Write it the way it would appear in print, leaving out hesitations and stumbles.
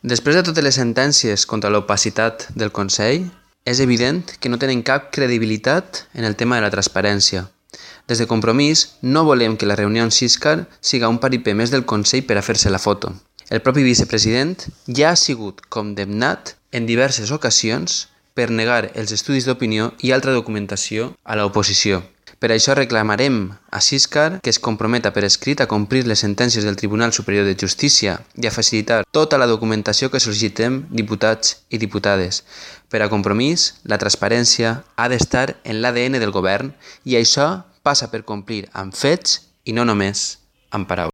Després de totes les sentències contra l'opacitat del Consell, és evident que no tenen cap credibilitat en el tema de la transparència. Des de Compromís no volem que la reunió amb Siscar siga un paripé més del Consell per a fer-se la foto. El propi vicepresident ja ha sigut condemnat en diverses ocasions per negar els estudis d'opinió i altra documentació a l'oposició. Per això reclamarem a Siscar que es comprometa per escrit a complir les sentències del Tribunal Superior de Justícia i a facilitar tota la documentació que sol·licitem diputats i diputades. Per a Compromís, la transparència ha d'estar en l'ADN del govern i això passa per complir amb fets i no només amb paraules.